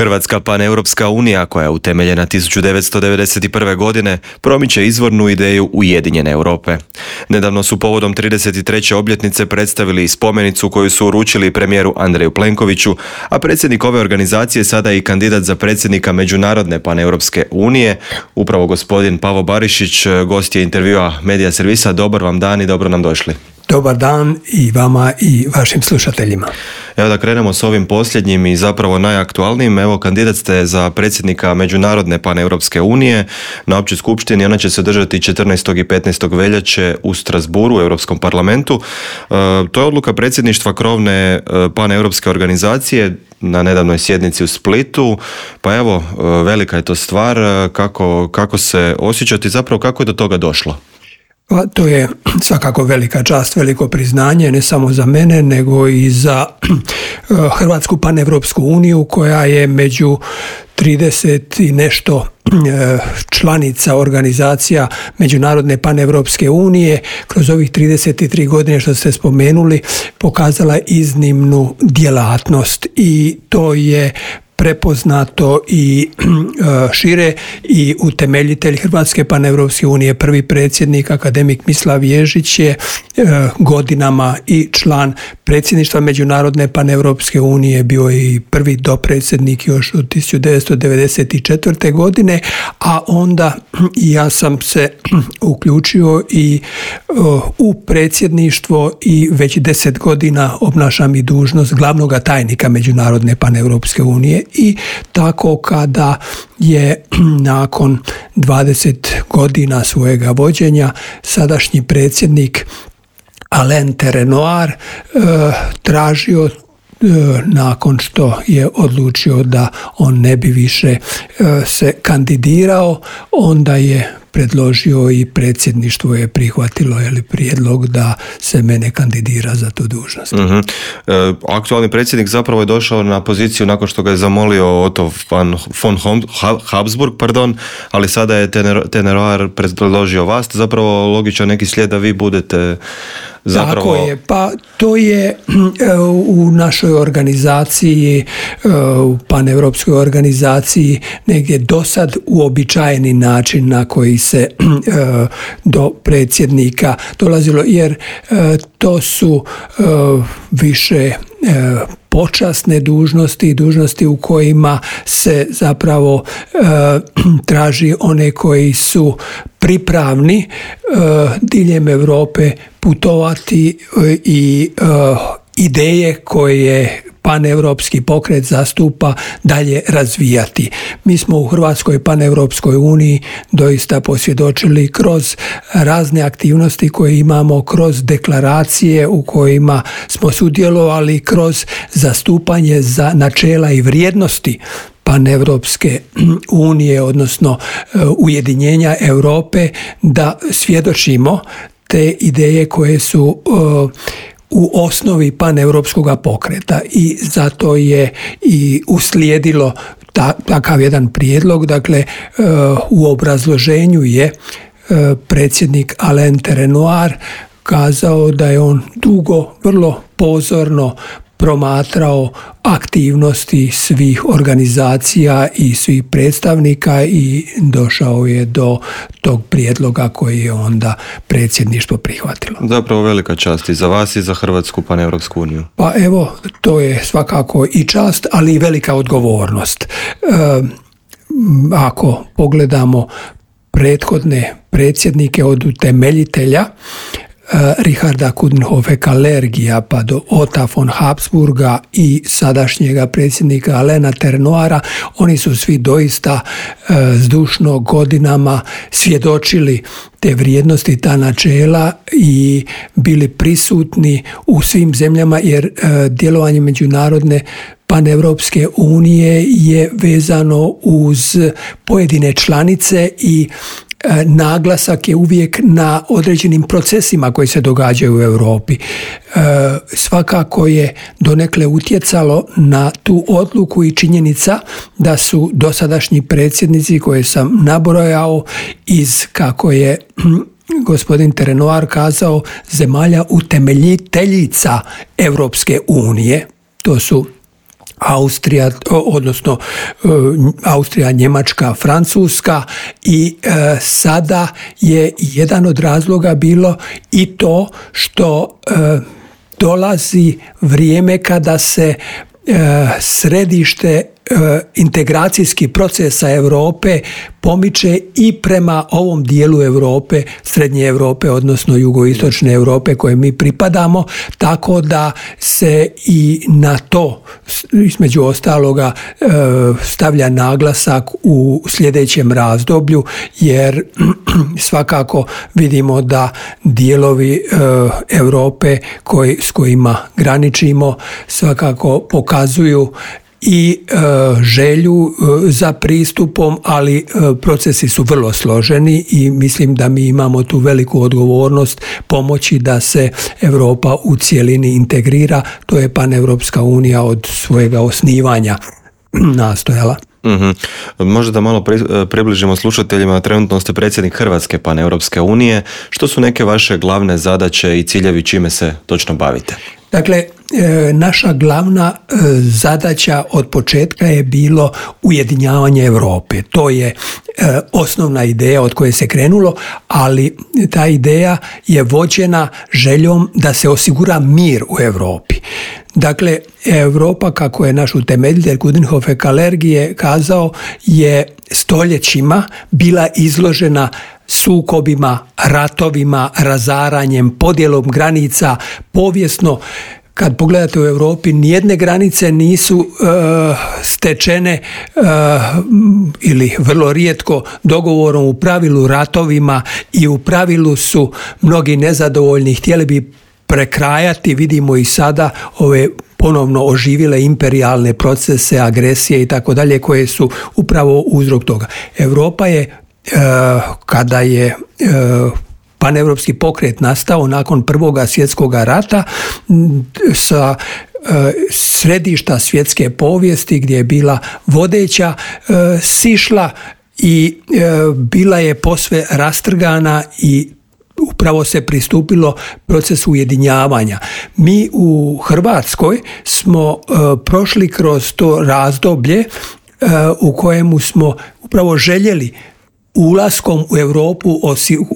Hrvatska paneuropska unija, koja je utemeljena 1991. godine, promiče izvornu ideju Ujedinjene Europe. Nedavno su povodom 33. obljetnice predstavili spomenicu koju su uručili premijeru Andreju Plenkoviću, a predsjednik ove organizacije sada je i kandidat za predsjednika Međunarodne paneuropske unije, upravo gospodin Pavo Barišić, gost je intervjua Medija servisa. Dobar vam dan i dobro nam došli. Dobar dan i vama i vašim slušateljima. Evo da krenemo s ovim posljednjim i zapravo najaktualnijim. Evo, kandidat ste za predsjednika Međunarodne paneuropske unije na općoj skupštini. Ona će se održati 14. i 15. veljače u Strasbourgu u Europskom parlamentu. To je odluka predsjedništva krovne paneuropske organizacije na nedavnoj sjednici u Splitu. Pa evo, velika je to stvar. Kako se osjećate i zapravo kako je do toga došlo? To je svakako velika čast, veliko priznanje, ne samo za mene, nego i za Hrvatsku paneuropsku uniju, koja je među 30 i nešto članica organizacija Međunarodne paneuropske unije kroz ovih 33 godine što ste spomenuli pokazala iznimnu djelatnost i to je prepoznato i šire i utemeljitelj Hrvatske paneuropske unije, prvi predsjednik akademik Mislav Ježić je godinama i član predsjedništva Međunarodne paneuropske unije, bio je i prvi dopredsjednik još od 1994. godine, a onda ja sam se uključio i u predsjedništvo i već 10 godina obnašam i dužnost glavnog tajnika Međunarodne paneuropske unije. I tako kada je nakon 20 godina svojega vođenja sadašnji predsjednik Alain Terenoir tražio, nakon što je odlučio da on ne bi više se kandidirao, onda je predložio i predsjedništvo je prihvatilo prijedlog da se mene kandidira za tu dužnost. Aktualni predsjednik zapravo je došao na poziciju nakon što ga je zamolio Otto von Habsburg, ali sada je Terenoir predložio vas, zapravo logičan neki slijed da vi budete zapravo... Tako je, pa to je u našoj organizaciji, u paneuropskoj organizaciji negdje dosad uobičajeni način na koji se do predsjednika dolazilo, jer to su više počasne dužnosti, dužnosti u kojima se zapravo traži one koji su pripravni diljem Europe putovati i ideje koje paneuropski pokret zastupa dalje razvijati. Mi smo u Hrvatskoj paneuropskoj uniji doista posvjedočili kroz razne aktivnosti koje imamo, kroz deklaracije u kojima smo sudjelovali, kroz zastupanje za načela i vrijednosti paneuropske unije, odnosno ujedinjenja Europe, da svjedočimo te ideje koje su u osnovi paneuropskog pokreta i zato je i uslijedilo takav jedan prijedlog. Dakle, u obrazloženju je predsjednik Alain Terenoir kazao da je on dugo, vrlo pozorno promatrao aktivnosti svih organizacija i svih predstavnika i došao je do tog prijedloga koji je onda predsjedništvo prihvatilo. Zapravo velika čast i za vas i za Hrvatsku paneuropsku uniju. Pa evo, to je svakako i čast, ali i velika odgovornost. Ako pogledamo prethodne predsjednike od utemeljitelja Richarda Coudenhove-Kalergija pa do Otta von Habsburga i sadašnjega predsjednika Alaina Terenoira, oni su svi doista zdušno godinama svjedočili te vrijednosti, ta načela i bili prisutni u svim zemljama, jer djelovanje Međunarodne paneuropske unije je vezano uz pojedine članice i naglasak je uvijek na određenim procesima koji se događaju u Europi. Svakako je donekle utjecalo na tu odluku i činjenica da su dosadašnji predsjednici koje sam nabrojao iz, kako je gospodin Terenoir kazao, zemalja utemeljiteljica Europske unije. To su Austrija, odnosno Austrija, Njemačka, Francuska i sada je jedan od razloga bilo i to što dolazi vrijeme kada se središte integracijski procesa Europe pomiče i prema ovom dijelu Europe, Srednje Europe, odnosno Jugoistočne Europe koje mi pripadamo, tako da se i na to između ostaloga stavlja naglasak u sljedećem razdoblju, jer svakako vidimo da dijelovi Europe s kojima graničimo svakako pokazuju i želju za pristupom, ali procesi su vrlo složeni i mislim da mi imamo tu veliku odgovornost pomoći da se Europa u cjelini integrira. To je Paneuropska unija od svojega osnivanja nastojala. Mm-hmm. Možda da malo približimo slušateljima, trenutno ste predsjednik Hrvatske Paneuropske unije. Što su neke vaše glavne zadaće i ciljevi, čime se točno bavite? Dakle, naša glavna zadaća od početka je bilo ujedinjavanje Europe. To je osnovna ideja od koje se krenulo, ali ta ideja je vođena željom da se osigura mir u Europi. Dakle, Europa, kako je naš utemeljitelj Coudenhove Kalergije kazao, je stoljećima bila izložena sukobima, ratovima, razaranjem, podjelom granica. Povijesno, kad pogledate u Europi, nijedne granice nisu stečene ili vrlo rijetko dogovorom, u pravilu ratovima, i u pravilu su mnogi nezadovoljni, htjeli bi prekrajati. Vidimo i sada ove ponovno oživile imperijalne procese, agresije i tako dalje, koje su upravo uzrok toga. Europa je, kada je paneuropski pokret nastao nakon Prvoga svjetskog rata, sa središta svjetske povijesti gdje je bila vodeća, sišla i bila je posve rastrgana i upravo se pristupilo procesu ujedinjavanja. Mi u Hrvatskoj smo prošli kroz to razdoblje u kojemu smo upravo željeli ulaskom u Europu,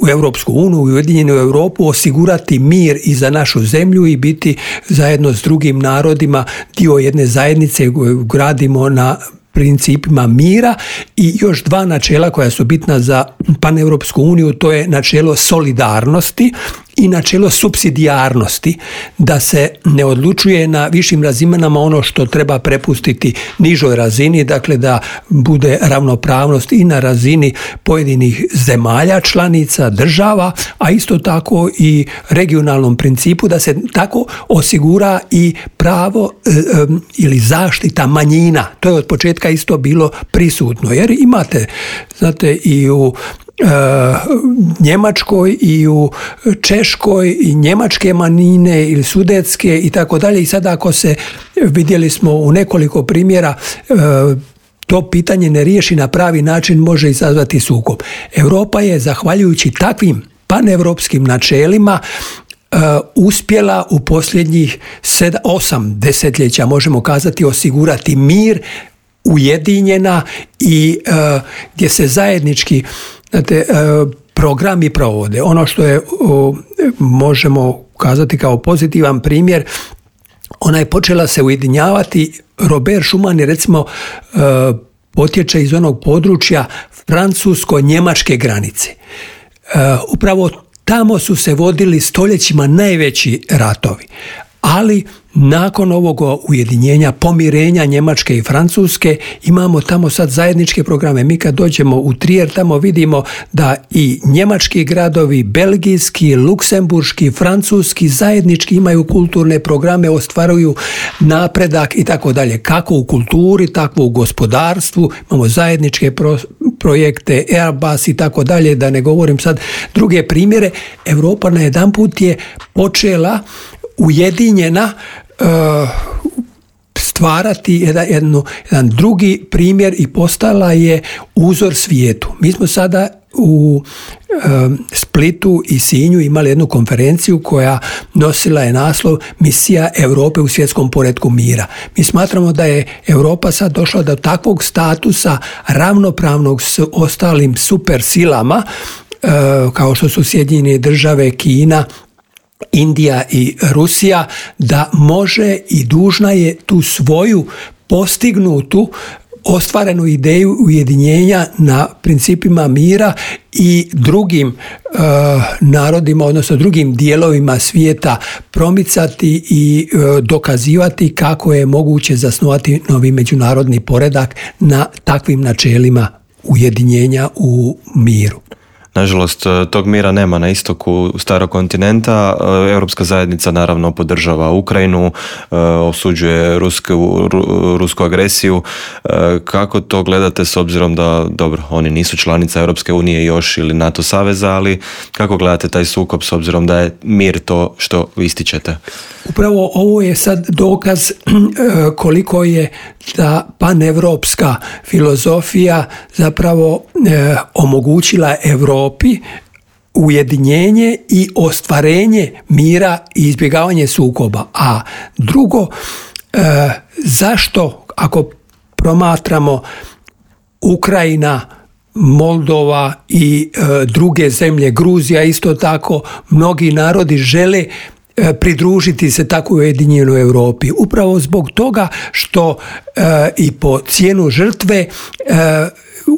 u Europsku uniju, u Ujedinjenu Europu, osigurati mir i za našu zemlju i biti zajedno s drugim narodima dio jedne zajednice koju gradimo na principima mira. I još dva načela koja su bitna za Paneuropsku uniju, to je načelo solidarnosti i načelo supsidijarnosti, da se ne odlučuje na višim razinama ono što treba prepustiti nižoj razini, dakle da bude ravnopravnost i na razini pojedinih zemalja, članica, država, a isto tako i regionalnom principu, da se tako osigura i pravo ili zaštita manjina. To je od početka isto bilo prisutno, jer imate, znate, i u Njemačkoj i u Češkoj i njemačke manjine ili sudetske i tako dalje. I sada ako se, vidjeli smo u nekoliko primjera, to pitanje ne riješi na pravi način, može izazvati sukob. Europa je, zahvaljujući takvim paneuropskim načelima, uspjela u posljednjih 8 desetljeća, možemo kazati, osigurati mir, ujedinjena i gdje se zajednički, znate, programi provode. Ono što je, možemo kazati kao pozitivan primjer, ona je počela se ujedinjavati. Robert Schuman je, recimo, potječe iz onog područja francusko-njemačke granice. Upravo tamo su se vodili stoljećima najveći ratovi. Ali nakon ovog ujedinjenja, pomirenja Njemačke i Francuske, imamo tamo sad zajedničke programe. Mi kad dođemo u Trier, tamo vidimo da i njemački gradovi, belgijski, luksemburški, francuski zajednički imaju kulturne programe, ostvaruju napredak i tako dalje. Kako u kulturi, tako u gospodarstvu. Imamo zajedničke projekte, Airbus i tako dalje, da ne govorim sad druge primjere. Europa na jedan put je počela ujedinjena stvarati jedan drugi primjer i postala je uzor svijetu. Mi smo sada u Splitu i Sinju imali jednu konferenciju koja nosila je naslov Misija Europe u svjetskom poretku mira. Mi smatramo da je Europa sad došla do takvog statusa ravnopravnog s ostalim supersilama kao što su Sjedinjene Države, Kina, Indija i Rusija, da može i dužna je tu svoju postignutu ostvarenu ideju ujedinjenja na principima mira i drugim narodima, odnosno drugim dijelovima svijeta promicati i dokazivati kako je moguće zasnovati novi međunarodni poredak na takvim načelima ujedinjenja u miru. Nažalost, tog mira nema na istoku starog kontinenta. Europska zajednica naravno podržava Ukrajinu, osuđuje rusku agresiju. Kako to gledate s obzirom da, dobro, oni nisu članica Europske unije još ili NATO saveza, ali kako gledate taj sukob s obzirom da je mir to što ističete? Upravo ovo je sad dokaz koliko je ta panevropska filozofija zapravo omogućila Europi ujedinjenje i ostvarenje mira i izbjegavanje sukoba. A drugo, zašto ako promatramo Ukrajina, Moldova i druge zemlje, Gruzija isto tako, mnogi narodi žele pridružiti se tako ujedinjenoj Europi. Upravo zbog toga što i po cijenu žrtve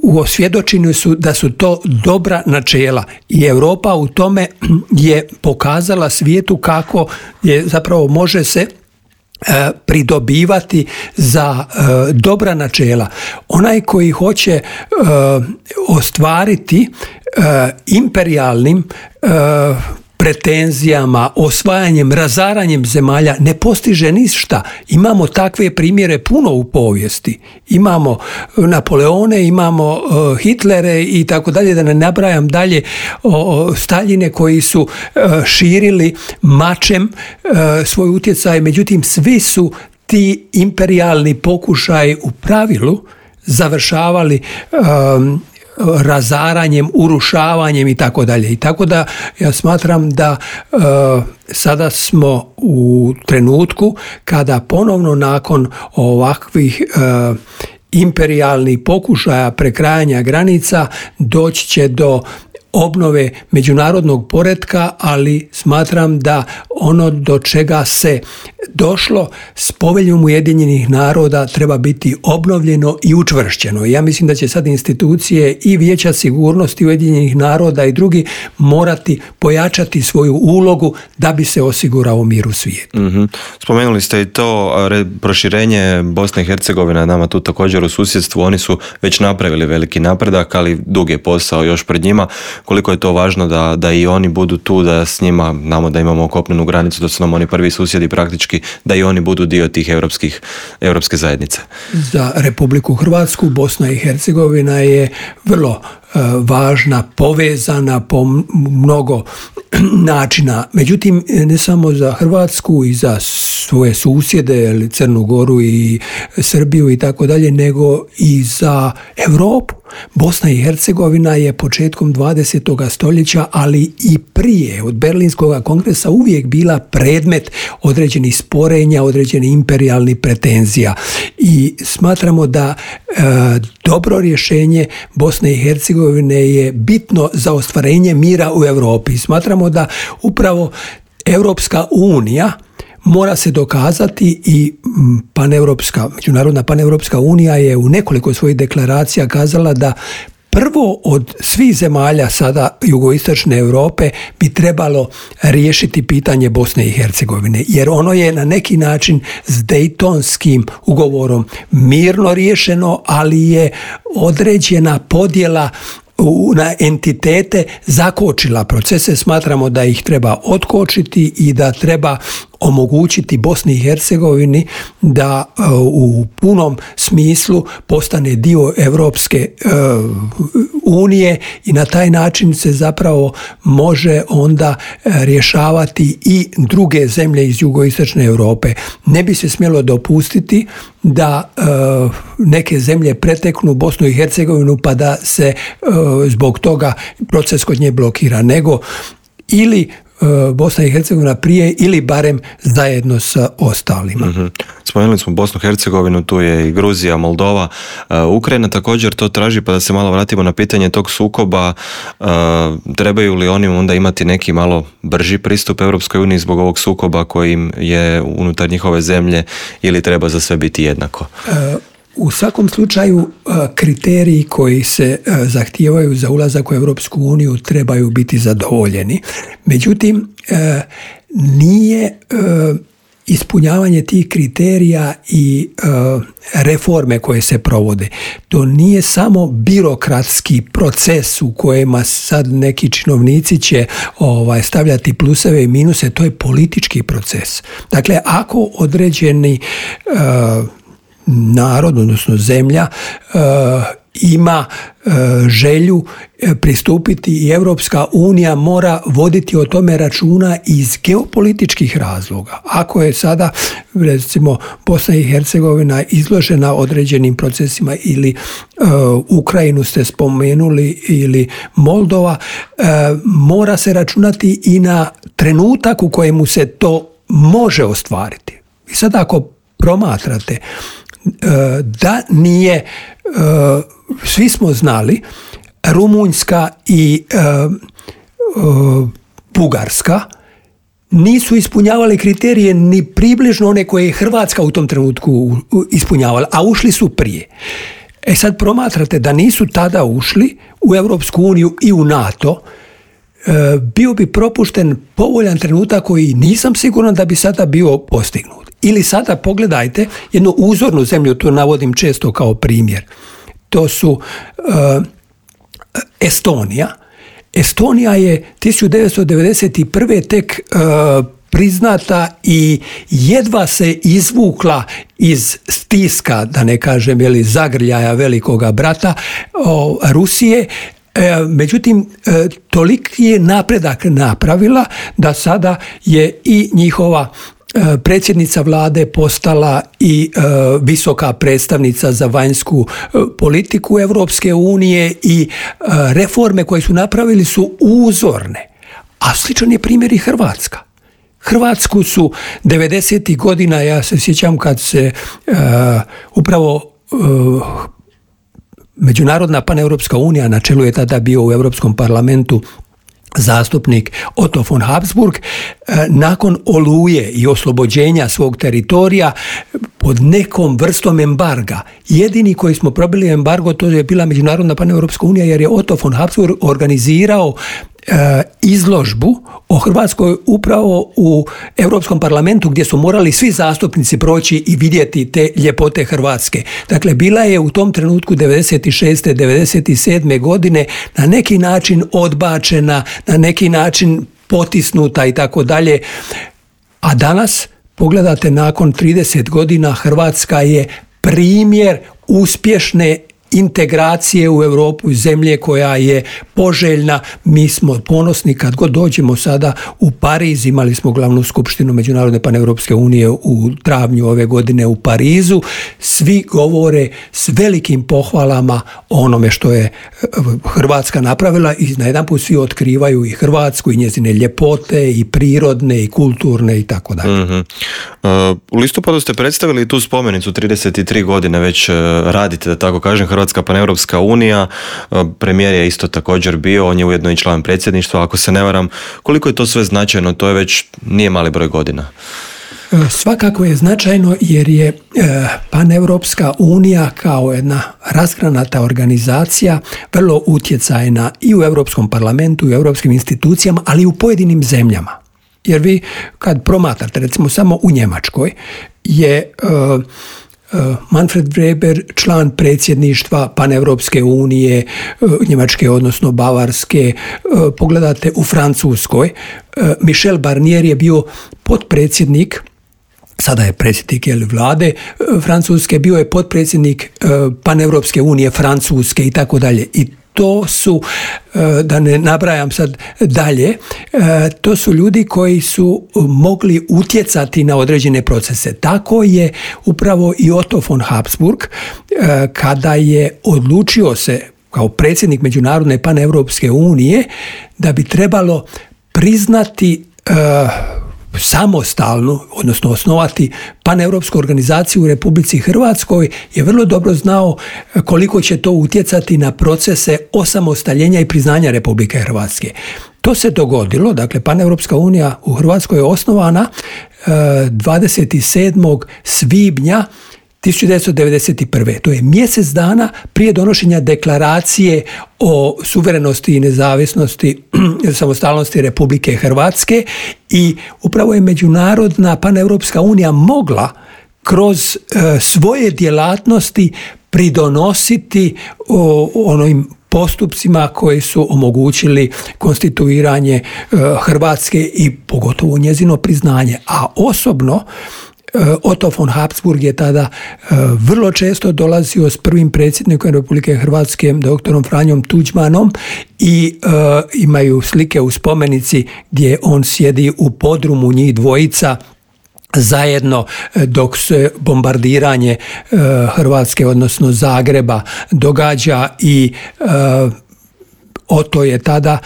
osvjedočeni su da su to dobra načela i Europa u tome je pokazala svijetu kako je zapravo može se pridobivati za dobra načela. Onaj koji hoće ostvariti imperijalnim pretenzijama, osvajanjem, razaranjem zemalja ne postiže ništa. Imamo takve primjere puno u povijesti. Imamo Napoleone, imamo Hitlere i tako dalje, da ne nabrajam dalje Staljine koji su širili mačem svoj utjecaj. Međutim, svi su ti imperijalni pokušaji u pravilu završavali razaranjem, urušavanjem i tako dalje. I tako da ja smatram da sada smo u trenutku kada ponovno nakon ovakvih imperijalnih pokušaja prekrajanja granica doći će do obnove međunarodnog poretka, ali smatram da ono do čega se došlo s Poveljom Ujedinjenih naroda treba biti obnovljeno i učvršćeno. Ja mislim da će sad institucije i Vijeća sigurnosti Ujedinjenih naroda i drugi morati pojačati svoju ulogu da bi se osigurao mir u svijetu. Mm-hmm. Spomenuli ste i to proširenje Bosne i Hercegovine nama tu također u susjedstvu. Oni su već napravili veliki napredak, ali dug je posao još pred njima. Koliko je to važno da i oni budu tu, da s njima, znamo da imamo kopnenu granicu, da su nam oni prvi susjedi praktički, da i oni budu dio tih europske zajednice. Za Republiku Hrvatsku Bosna i Hercegovina je vrlo važna, povezana po mnogo načina. Međutim, ne samo za Hrvatsku i za svoje susjede, Crnu Goru i Srbiju i tako dalje, nego i za Europu. Bosna i Hercegovina je početkom 20. stoljeća, ali i prije od Berlinskog kongresa uvijek bila predmet određenih sporenja, određenih imperijalnih pretenzija. I smatramo da dobro rješenje Bosne i Hercegovine je bitno za ostvarenje mira u Europi. Smatramo da upravo Europska unija mora se dokazati i Međunarodna paneuropska unija je u nekoliko svojih deklaracija kazala da prvo od svih zemalja sada jugoistočne Europe bi trebalo riješiti pitanje Bosne i Hercegovine, jer ono je na neki način s Dejtonskim ugovorom mirno riješeno, ali je određena podjela na entitete zakočila procese. Smatramo da ih treba otkočiti i da treba omogućiti Bosni i Hercegovini da u punom smislu postane dio Europske unije i na taj način se zapravo može onda rješavati i druge zemlje iz jugoistočne Europe. Ne bi se smjelo dopustiti da neke zemlje preteknu Bosnu i Hercegovinu pa da se zbog toga proces kod nje blokira, nego ili Bosna i Hercegovina prije ili barem zajedno sa ostalima. Mm-hmm. Spomenuli smo Bosnu i Hercegovinu, tu je i Gruzija, Moldova, Ukrajina također to traži, pa da se malo vratimo na pitanje tog sukoba. Trebaju li oni onda imati neki malo brži pristup Europskoj uniji zbog ovog sukoba kojim je unutar njihove zemlje ili treba za sve biti jednako? U svakom slučaju kriteriji koji se zahtijevaju za ulazak u Europsku uniju trebaju biti zadovoljeni. Međutim, nije ispunjavanje tih kriterija i reforme koje se provode. To nije samo birokratski proces u kojima sad neki činovnici će stavljati pluseve i minuse, to je politički proces. Dakle, ako određeni narod, odnosno zemlja, ima želju pristupiti i Europska unija mora voditi o tome računa iz geopolitičkih razloga. Ako je sada, recimo, Bosna i Hercegovina izložena određenim procesima ili Ukrajinu ste spomenuli ili Moldova, mora se računati i na trenutak u kojemu se to može ostvariti. I sad ako promatrate da nije, svi smo znali, Rumunjska i Bugarska nisu ispunjavali kriterije ni približno one koje je Hrvatska u tom trenutku ispunjavala, a ušli su prije. Sad promatrate da nisu tada ušli u Europsku uniju i u NATO, bio bi propušten povoljan trenutak koji nisam siguran da bi sada bio postignut. Ili sada pogledajte jednu uzornu zemlju, to navodim često kao primjer. To su Estonija. Estonija je 1991. tek priznata i jedva se izvukla iz stiska, da ne kažem zagrljaja velikoga brata Rusije. Međutim, toliki je napredak napravila da sada je i njihova predsjednica vlade postala i visoka predstavnica za vanjsku politiku Europske unije i reforme koje su napravili su uzorne. A sličan je primjer i Hrvatska. Hrvatsku su 90. godina, ja se sjećam kad se upravo Međunarodna paneuropska unija, na čelu je tada bio u Europskom parlamentu zastupnik Otto von Habsburg, nakon Oluje i oslobođenja svog teritorija pod nekom vrstom embarga. Jedini koji smo probili embargo, to je bila Međunarodna paneuropska unija, jer je Otto von Habsburg organizirao izložbu o Hrvatskoj upravo u Europskom parlamentu, gdje su morali svi zastupnici proći i vidjeti te ljepote Hrvatske. Dakle, bila je u tom trenutku 96. 97. godine na neki način odbačena, na neki način potisnuta i tako dalje. A danas, pogledate, nakon 30 godina Hrvatska je primjer uspješne integracije u Europu, zemlje koja je poželjna. Mi smo ponosni kad god dođemo sada u Pariz, imali smo glavnu skupštinu Međunarodne paneuropske unije u travnju ove godine u Parizu, svi govore s velikim pohvalama o onome što je Hrvatska napravila i najedanput svi otkrivaju i Hrvatsku i njezine ljepote i prirodne i kulturne i tako dalje. Mm-hmm. U listopadu ste predstavili tu spomenicu, 33 godine već radite, da tako kažem, Hrvatska paneuropska unija, premijer je isto također bio, on je ujedno i član predsjedništva, ako se ne varam. Koliko je to sve značajno? To je već nije mali broj godina. Svakako je značajno jer je Paneuropska unija kao jedna razgranata organizacija vrlo utjecajna i u Europskom parlamentu i u europskim institucijama, ali i u pojedinim zemljama. Jer vi kad promatrate, recimo samo u Njemačkoj je Manfred Weber član predsjedništva Paneuropske unije, Njemačke odnosno Bavarske. Pogledate u Francuskoj, Michel Barnier je bio potpredsjednik, sada je predsjednik vlade Francuske, bio je potpredsjednik Paneuropske unije Francuske i tako dalje. I to su, da ne nabrajam sad dalje, to su ljudi koji su mogli utjecati na određene procese. Tako je upravo i Otto von Habsburg, kada je odlučio se kao predsjednik Međunarodne paneuropske unije da bi trebalo priznati samostalnu, odnosno osnovati paneuropsku organizaciju u Republici Hrvatskoj, je vrlo dobro znao koliko će to utjecati na procese osamostaljenja i priznanja Republike Hrvatske. To se dogodilo, dakle Paneuropska unija u Hrvatskoj je osnovana 27. svibnja 1991. To je mjesec dana prije donošenja deklaracije o suverenosti i nezavisnosti, samostalnosti Republike Hrvatske, i upravo je Međunarodna paneuropska unija mogla kroz svoje djelatnosti pridonositi onim postupcima koji su omogućili konstituiranje Hrvatske i pogotovo njezino priznanje. A osobno Otto von Habsburg je tada vrlo često dolazio s prvim predsjednikom Republike Hrvatske, doktorom Franjom Tuđmanom, i imaju slike u spomenici gdje on sjedi u podrumu, njih dvojica zajedno dok se bombardiranje Hrvatske, odnosno Zagreba, događa, i Otto je tada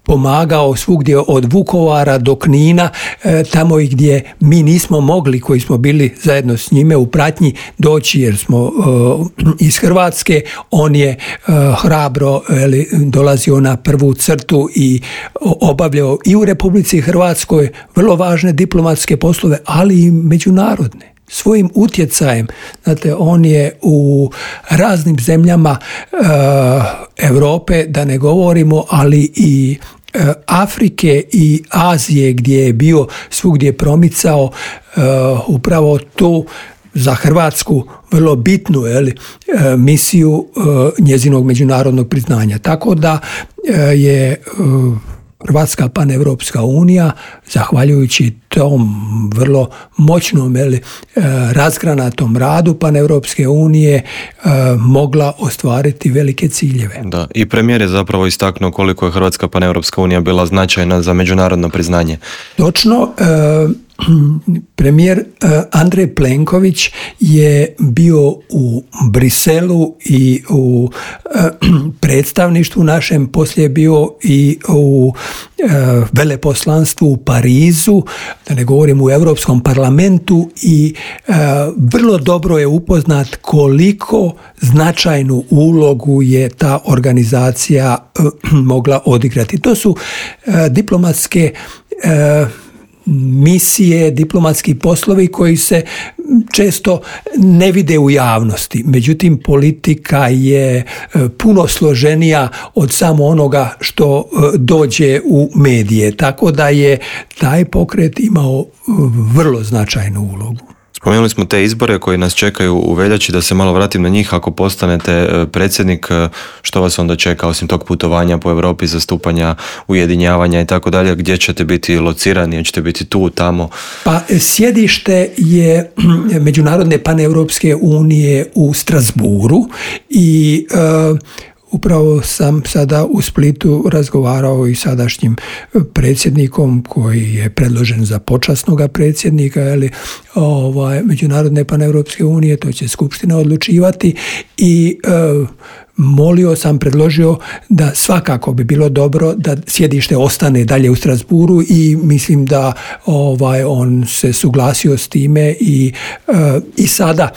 pomagao svugdje od Vukovara do Knina, tamo i gdje mi nismo mogli, koji smo bili zajedno s njime u pratnji, doći jer smo iz Hrvatske. On je hrabro dolazio na prvu crtu i obavljao i u Republici Hrvatskoj vrlo važne diplomatske poslove, ali i međunarodne. Svojim utjecajem, znate, on je u raznim zemljama Europe, da ne govorimo, ali i Afrike i Azije, gdje je bio, svugdje promicao upravo tu za Hrvatsku vrlo bitnu misiju njezinog međunarodnog priznanja. Tako da je Hrvatska paneuropska unija, zahvaljujući tom vrlo moćnom razgranatom radu paneuropske unije, mogla ostvariti velike ciljeve. Da, i premijer je zapravo istaknuo koliko je Hrvatska paneuropska unija bila značajna za međunarodno priznanje. Točno. Premijer Andrej Plenković je bio u Briselu i u predstavništvu našem, poslije je bio i u veleposlanstvu u Parizu, da ne govorim u Europskom parlamentu, i vrlo dobro je upoznat koliko značajnu ulogu je ta organizacija mogla odigrati. To su diplomatske misije, diplomatski poslovi koji se često ne vide u javnosti. Međutim, politika je puno složenija od samo onoga što dođe u medije. Tako da je taj pokret imao vrlo značajnu ulogu. Spomenuli smo te izbore koji nas čekaju u veljači, da se malo vratim na njih. Ako postanete predsjednik, što vas onda čeka osim tog putovanja po Europi, zastupanja, ujedinjavanja i tako dalje? Gdje ćete biti locirani? Ćete biti tu, tamo? Pa sjedište je Međunarodne paneuropske unije u Strasbourgu i upravo sam sada u Splitu razgovarao i sadašnjim predsjednikom koji je predložen za počasnoga predsjednika Međunarodne paneuropske unije, to će skupština odlučivati, i predložio da svakako bi bilo dobro da sjedište ostane dalje u Strasbourgu, i mislim da on se suglasio s time i sada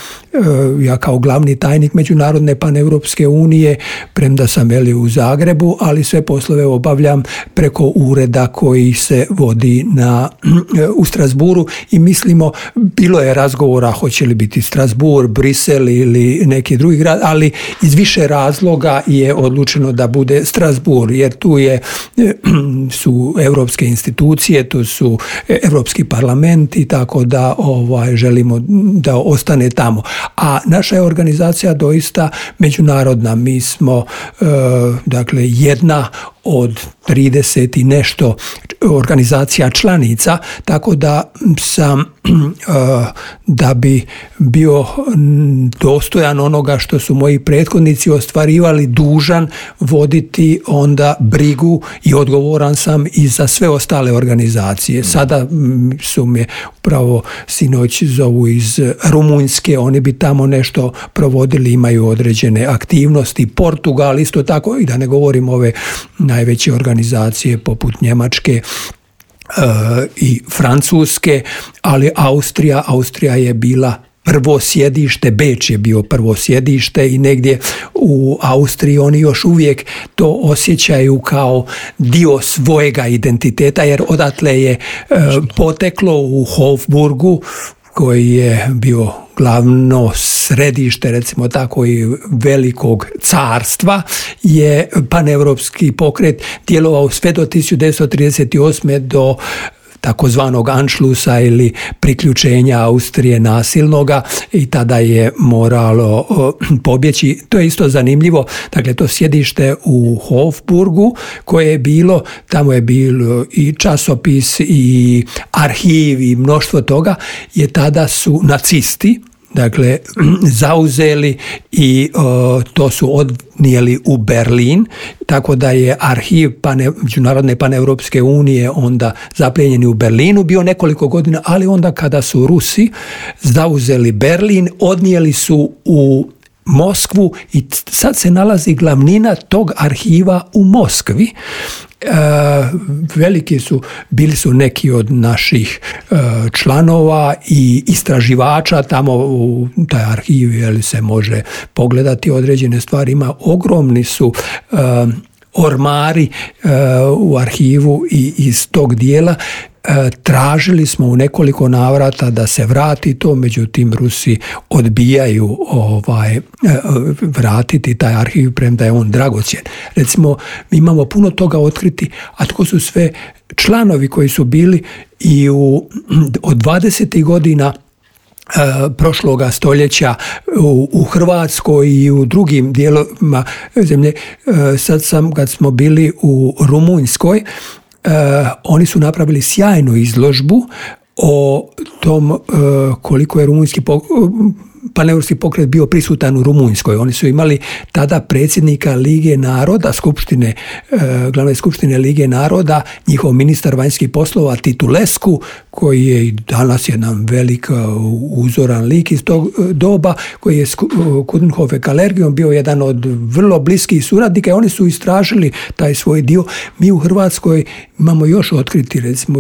ja kao glavni tajnik Međunarodne paneuropske unije, premda sam u Zagrebu, ali sve poslove obavljam preko ureda koji se vodi u Strasbourgu, i mislimo, bilo je razgovora hoće li biti Strasbourg, Brisel ili neki drugi grad, ali iz više razloga je odlučeno da bude Strasbourg, jer tu su europske institucije, tu su Europski parlament, i tako da želimo da ostane tamo. A naša je organizacija doista međunarodna. Mi smo jedna od 30 i nešto organizacija članica, tako da sam da bi bio dostojan onoga što su moji prethodnici ostvarivali, dužan voditi onda brigu i odgovoran sam i za sve ostale organizacije. Sada su me upravo sinoć zovu iz Rumunjske, oni bi tamo nešto provodili, imaju određene aktivnosti. Portugal isto tako, i da ne govorim ove najveće organizacije poput Njemačke i Francuske, ali Austrija je bila prvo sjedište, Beč je bio prvo sjedište i negdje u Austriji oni još uvijek to osjećaju kao dio svojega identiteta, jer odatle je poteklo u Hofburgu, koji je bio glavno središte, recimo tako, i velikog carstva, je paneuropski pokret djelovao sve do 1938. do takozvanog Anšlusa ili priključenja Austrije nasilnoga, i tada je moralo pobjeći. To je isto zanimljivo. Dakle, to sjedište u Hofburgu koje je bilo, tamo je bilo i časopis i arhiv i mnoštvo toga, je tada su nacisti dakle zauzeli i to su odnijeli u Berlin, tako da je arhiv Međunarodne paneuropske unije onda zaplijenjeni u Berlinu bio nekoliko godina, ali onda kada su Rusi zauzeli Berlin, odnijeli su u Moskvu i sad se nalazi glavnina tog arhiva u Moskvi. Bili su neki od naših članova i istraživača tamo u taj arhiv, se može pogledati određene stvari, ima ogromni su ormari u arhivu i iz tog dijela. Tražili smo u nekoliko navrata da se vrati to, međutim Rusi odbijaju vratiti taj arhiv, premda je on dragocjen. Recimo, mi imamo puno toga otkriti, a tko su sve članovi koji su bili i od 20. godina prošloga stoljeća u Hrvatskoj i u drugim dijelovima zemlje. Sad kad smo bili u Rumunjskoj, oni su napravili sjajnu izložbu o tom koliko je rumunjski paneuropski pokret bio prisutan u Rumunjskoj. Oni su imali tada predsjednika Lige naroda, glavne skupštine Lige naroda, njihov ministar vanjskih poslova Titulescu, koji je i danas jedan velik uzoran lik iz tog doba, koji je s Coudenhove-Kalergijom bio jedan od vrlo bliskih suradnika, i oni su istražili taj svoj dio. Mi u Hrvatskoj imamo još otkriti, recimo,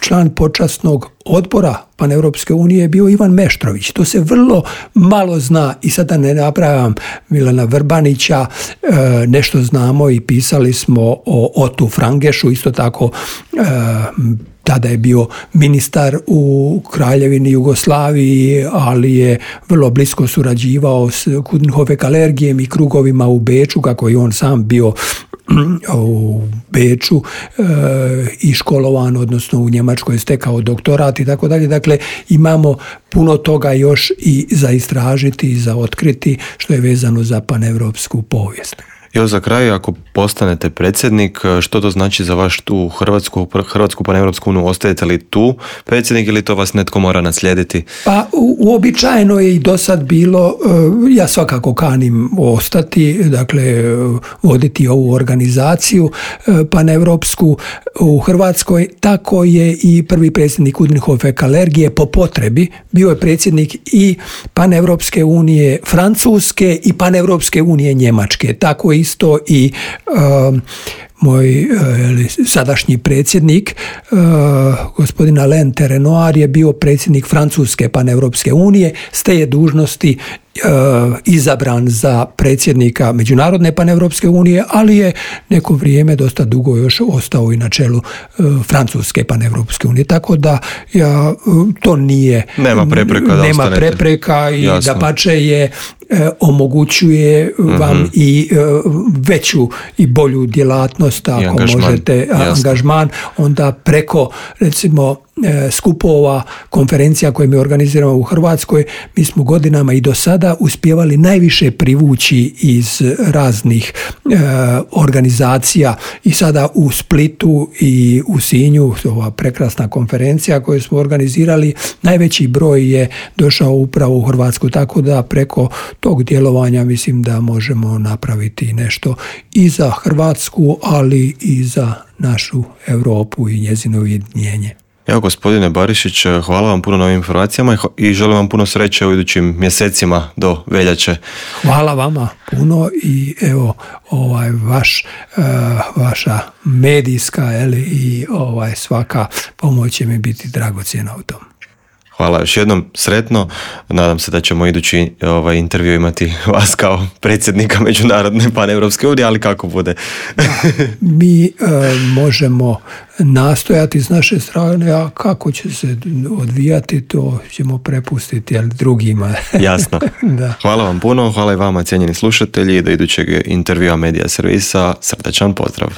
član počasnog odbora Paneuropske unije je bio Ivan Meštrović. To se vrlo malo zna, i sada ne napravljam Milana Vrbanića, nešto znamo i pisali smo o Otu Frangešu, isto tako tada je bio ministar u Kraljevini Jugoslaviji, ali je vrlo blisko surađivao s Coudenhove-Kalergijem i krugovima u Beču, kako je on sam bio u Beču i školovan, odnosno u Njemačkoj stekao doktorat i tako dalje. Dakle, imamo puno toga još i za istražiti i za otkriti, što je vezano za paneuropsku povijest. Evo za kraj, ako postanete predsjednik, što to znači za vaš tu Hrvatsku paneuropsku uniju? Ostajete li tu predsjednik ili to vas netko mora naslijediti? Pa uobičajeno je i do sad bilo, ja svakako kanim ostati, dakle voditi ovu organizaciju paneuropsku u Hrvatskoj. Tako je i prvi predsjednik Coudenhove-Kalergije po potrebi bio je predsjednik i paneuropske unije Francuske i paneuropske unije Njemačke. Tako je isto i moj sadašnji predsjednik, gospodin Alain Terenoir, je bio predsjednik Francuske paneuropske unije, s te je dužnosti izabran za predsjednika Međunarodne paneuropske unije, ali je neko vrijeme, dosta dugo još, ostao i na čelu Francuske paneuropske unije. Tako da to nije... Nema prepreka i dapače je omogućuje vam i veću i bolju djelatnost, ako možete, angažman, onda preko, recimo, skupova, konferencija koje mi organiziramo u Hrvatskoj, mi smo godinama i do sada uspjevali najviše privući iz raznih organizacija i sada u Splitu i u Sinju, ova prekrasna konferencija koju smo organizirali, najveći broj je došao upravo u Hrvatsku, tako da preko tog djelovanja mislim da možemo napraviti nešto i za Hrvatsku, ali i za našu Europu i njezino ujedinjenje. Evo, gospodine Barišić, hvala vam puno na ovim informacijama i želim vam puno sreće u idućim mjesecima do veljače. Hvala vama puno i evo vaša medijska i svaka pomoć će mi biti dragocjena u tom. Hvala još jednom, sretno. Nadam se da ćemo idući intervju imati vas kao predsjednika Međunarodne paneuropske unije, ali kako bude. Mi možemo nastojati s naše strane, a kako će se odvijati, to ćemo prepustiti drugima. Jasno. Da. Hvala vam puno, hvala i vama, cijenjeni slušatelji. Do idućeg intervjua Medija servisa, srdačan pozdrav.